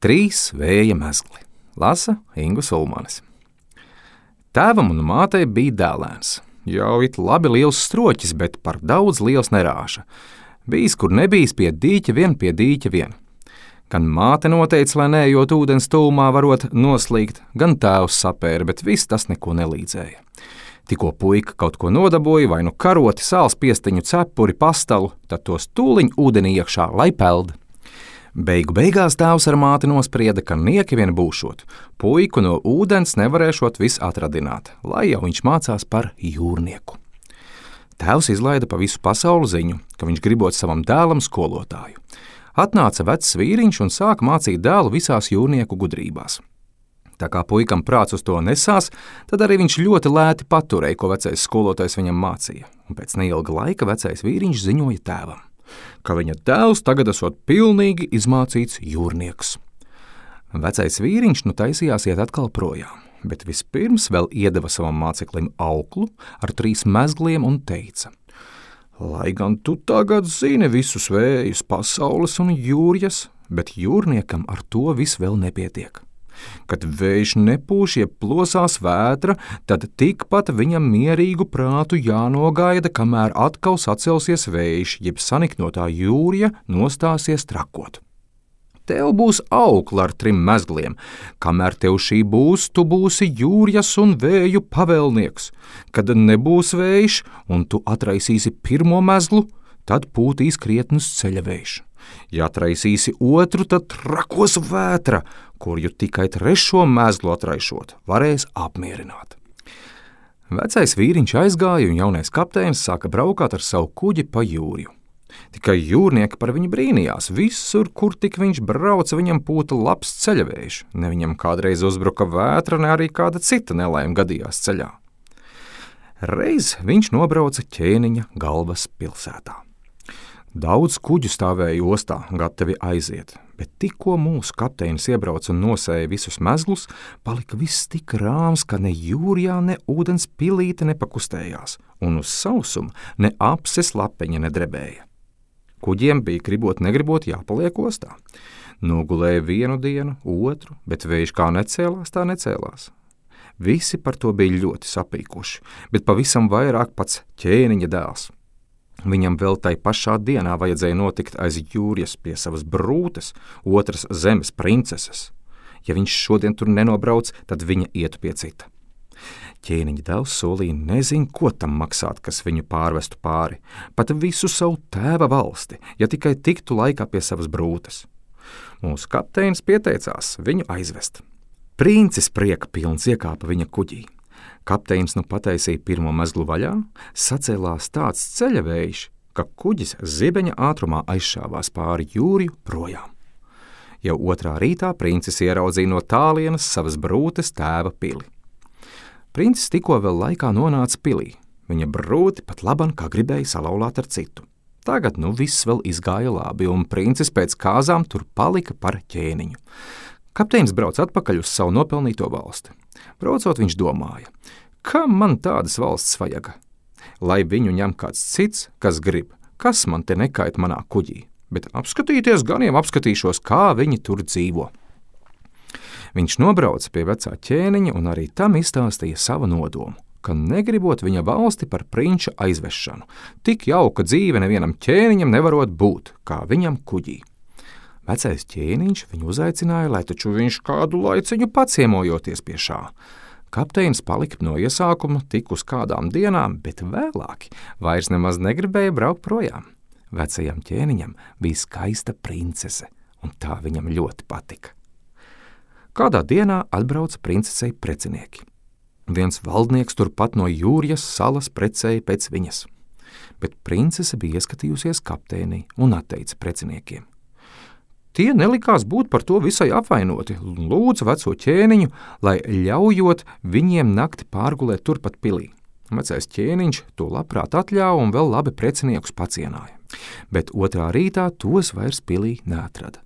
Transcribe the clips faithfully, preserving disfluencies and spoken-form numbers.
Trīs vēja mezgli. Lasa Ingus Ulmanis. Tēvam un mātei bija dēlēns. Jau it labi liels stroķis, bet par daudz liels nerāša. Bijis, kur nebijis, pie dīķa vien, pie dīķa vien. Gan māte noteica, lai neejot ūdens tūmā varot noslīgt, gan tēvs sapēra, bet viss tas neko nelīdzēja. Tikko puika kaut ko nodaboja, vai nu karoti, sāls piestiņu, cepuri, pastalu, tad tos tūliņ ūdenī iekšā, lai peld. Beigu beigās tēvs ar māti nosprieda, ka nieki vien būšot, puiku no ūdens nevarēšot vis atradināt, lai jau viņš mācās par jūrnieku. Tēvs izlaida pa visu pasauli ziņu, ka viņš gribot savam dēlam skolotāju. Atnāca vecs vīriņš un sāka mācīt dēlu visās jūrnieku gudrībās. Tā kā puikam prāts uz to nesās, tad arī viņš ļoti lēti paturēja, ko vecais skolotājs viņam mācīja, un pēc neilga laika vecais vīriņš ziņoja tēvam, ka viņa dēls tagad esot pilnīgi izmācīts jūrnieks. Vecais vīriņš nu taisījās iet atkal projām, bet vispirms vēl iedeva savam māceklim auklu ar trīs mezgliem un teica: lai gan tu tagad zini visus vējus, pasaules un jūrjas, bet jūrniekam ar to viss vēl nepietiek. Kad vējš nepūš, jeb plosās vētra, tad tikpat viņam mierīgu prātu jānogaida, kamēr atkal sacelsies vējš, jeb saniknotā jūrja nostāsies trakot. Tev būs aukla ar trim mezgliem. Kamēr tev šī būs, tu būsi jūrjas un vēju pavēlnieks. Kad nebūs vējš un tu atraisīsi pirmo mezglu, tad pūtīs krietnus ceļa vējš. Ja atraisīsi otru, tad trakos vētra, kur ju tikai trešo mezglu atraišot varēs apmierināt. Vecais vīriņš aizgāja un jaunais kapteinis sāka braukāt ar savu kuģi pa jūrju. Tikai jūrnieki par viņu brīnījās. Visur, kur tik viņš brauca, viņam pūta labs ceļavējš. Ne viņam kādreiz uzbruka vētra, ne arī kāda cita nelaime gadījās ceļā. Reiz viņš nobrauca Ķēniņa galvas pilsētā. Daudz kuģu stāvēja ostā, gatavi aiziet, bet tikko mūsu kapteinis iebrauca un nosēja visus mezglus, palika viss tik rāms, ka ne jūrjā, ne ūdens pilīte nepakustējās, un uz sausuma ne apses lapeņa nedrebēja. Kuģiem bija gribot negribot jāpaliek ostā. Nogulēja vienu dienu, otru, bet vējš kā necēlās, tā necēlās. Visi par to bija ļoti sapīkuši, bet pavisam vairāk pats Ķēniņa dēls. Viņam vēl tai pašā dienā vajadzēja notikt aiz jūrjas pie savas brūtes, otras zemes princeses. Ja viņš šodien tur nenobrauc, tad viņa ietu pie cita. Ķēniņa dēls solīja nezin, ko tam maksāt, kas viņu pārvestu pāri, pat visu savu tēva valsti, ja tikai tiktu laikā pie savas brūtes. Mūsu kapteinis pieteicās viņu aizvest. Princis prieka pilns iekāpa viņa kuģī. Kapteinis nu pataisīja pirmo mezglu vaļā, sacēlās tāds ceļavējš, ka kuģis zibeņa ātrumā aizšāvās pāri jūrju projām. Jau otrā rītā princis ieraudzīja no tālienes savas brūtes tēva pili. Princis tikko vēl laikā nonāca pilī. Viņa brūti pat laban kā gribēja salauzāt ar citu. Tagad nu viss vēl izgāja labi, un princis pēc kāzām tur palika par ķēniņu. Kapteinis brauc atpakaļ uz savu nopelnīto valsti. Braucot, viņš domāja, kam man tādas valsts vajaga? Lai viņu ņem kāds cits, kas grib, kas man te nekait manā kuģī, bet apskatīties gan jau apskatīšos, kā viņi tur dzīvo. Viņš nobrauca pie vecā ķēniņa un arī tam izstāstīja savu nodomu, ka negribot viņa valsti par prinča aizvešanu, tik jauka dzīve nevienam ķēniņam nevarot būt, kā viņam kuģī. Vecais ķēniņš viņu uzaicināja, lai taču viņš kādu laiciņu paciemojoties pie šā. Kapteinis palika no iesākuma tik uz kādām dienām, bet vēlāki vairs nemaz negribēja braukt projām. Vecajam ķēniņam bija skaista princese, un tā viņam ļoti patika. Kādā dienā atbrauca princesei precinieki. Viens valdnieks turpat no jūrjas salas precēja pēc viņas, bet princese bija ieskatījusies kapteinī un atteica preciniekiem. Tie nelikās būt par to visai apvainoti, lūdza veco ķēniņu, lai ļaujot viņiem nakti pārgulēt turpat pilī. Vecais ķēniņš to labprāt atļāva un vēl labi preciniekus pacienāja, bet otrā rītā tos vairs pilī neatrada.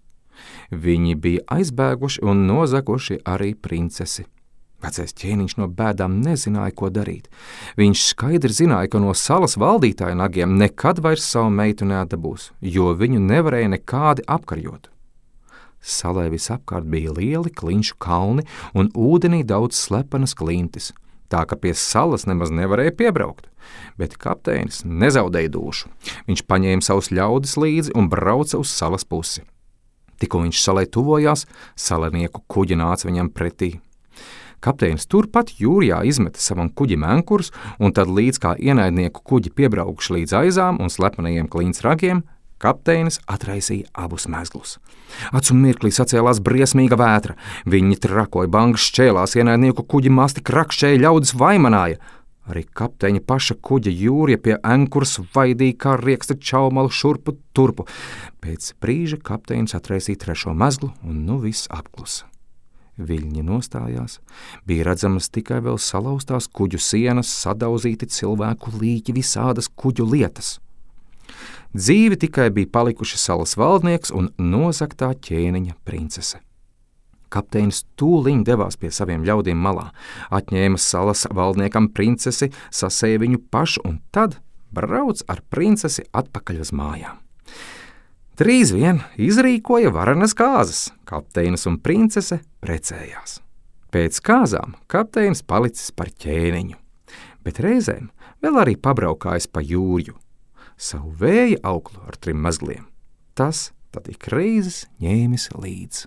Viņi bija aizbēguši un nozaguši arī princesi. Vecais ķēniņš no bēdām nezināja, ko darīt. Viņš skaidri zināja, ka no salas valdītāja nagiem nekad vairs savu meitu neatdabūs, jo viņu nevarēja nekādi apkarjot. Salai visapkārt bija lieli klinšu kalni un ūdenī daudz slepenas klintis, tā ka pie salas nemaz nevarēja piebraukt. Bet kapteinis nezaudēja dušu. Viņš paņēma savus ļaudis līdzi un brauca uz salas pusi. Tikko viņš salai tuvojās, salainieku kuģi nāca viņam pretī. Kapteinis turpat jūrjā izmeta savam kuģim ankurus, un tad līdz kā ienaidnieku kuģi piebraukuši līdz aizām un slepenajiem klints ragiem, kapteinis atraisīja abus mezglus. Acu mirklī sacēlās briesmīga vētra. Viņi trakoja, bangas šķēlās, ienaidnieku kuģi masti krakšķēja, ļaudis vaimanāja. Arī kapteiņa paša kuģa jūrja pie ankuras vaidīja kā rieksta čaumalu šurpu turpu. Pēc brīža kapteinis atraisīja trešo mezglu, un nu viss apklusa. Viļņi nostājās, bija redzamas tikai vēl salauztās kuģu sienas, sadauzīti cilvēku līķi, visādas kuģu lietas. Dzīvi tikai bija palikuši salas valdnieks un nozaktā ķēniņa princese. Kapteinis tūliņ devās pie saviem ļaudīm malā, atņēma salas valdniekam princesi, sasēja viņu pašu un tad brauc ar princesi atpakaļ uz mājām. Drīz vien izrīkoja varenas kāzas, kapteinis un princese precējās. Pēc kāzām kapteinis palicis par ķēniņu, bet reizēm vēl arī pabraukājis pa jūrju, savu vēja auklu ar trim mezgliem. Tas tad ik reizes ņēmis līdz.